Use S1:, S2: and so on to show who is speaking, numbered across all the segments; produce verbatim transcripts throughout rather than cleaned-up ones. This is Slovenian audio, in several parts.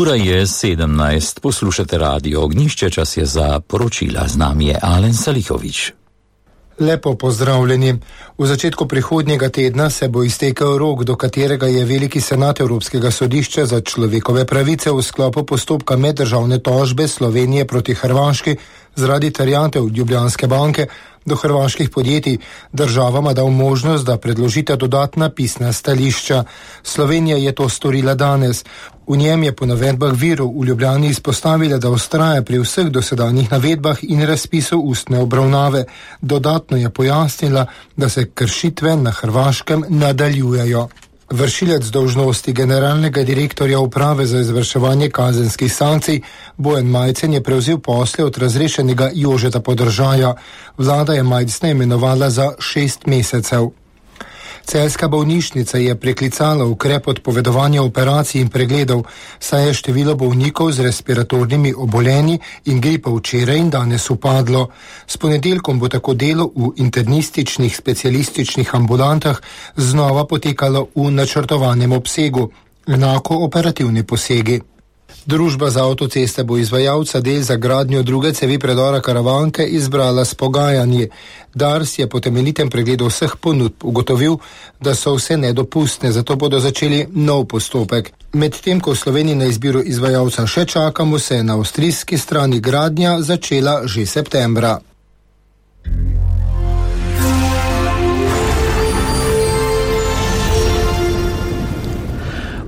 S1: Ura je sedemnajst, poslušate Radio Ognjišče, čas je za poročila, z nami je Alen Salihovič.
S2: Lepo pozdravljeni. V začetku prihodnjega tedna se bo iztekel rok, do katerega je Veliki senat Evropskega sodišča za človekove pravice v sklopu postopka meddržavne tožbe Slovenije proti Hrvaški zaradi terjatev Ljubljanske banke do hrvaških podjetij državama dal možnost, da predložite dodatna pisna stališča. Slovenija je to storila danes. V njem je po navedbah virov v Ljubljani izpostavila, da vztraja pri vseh dosedanjih navedbah in razpisu ustne obravnave. Dodatno je pojasnila, da se kršitve na Hrvaškem nadaljujejo. Vršilec dolžnosti generalnega direktorja uprave za izvrševanje kazenskih sankcij Bojan Majcen je prevzel posle od razrešenega Jožeta Podržaja. Vlada je Majcna imenovala za šest mesecev. Celjska bolnišnica je preklicala ukrep odpovedovanja operacij in pregledov, saj je število bolnikov z respiratornimi obolenji in gripa včeraj in danes upadlo. S ponedeljkom bo tako delo v internističnih specialističnih ambulantah znova potekalo v načrtovanem obsegu, enako operativni posegi. Družba za avtoceste bo izvajalca del za gradnjo druge cevi predora Karavanke izbrala s pogajanji. Dars je po temeljitem pregledu vseh ponudb ugotovil, da so vse nedopustne, zato bodo začeli nov postopek. Medtem ko v Sloveniji na izbiro izvajalca še čakamo, se je na avstrijski strani gradnja začela že septembra.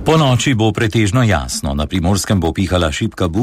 S1: Po noči bo pretežno jasno, na Primorskem bo pihala šibka burja.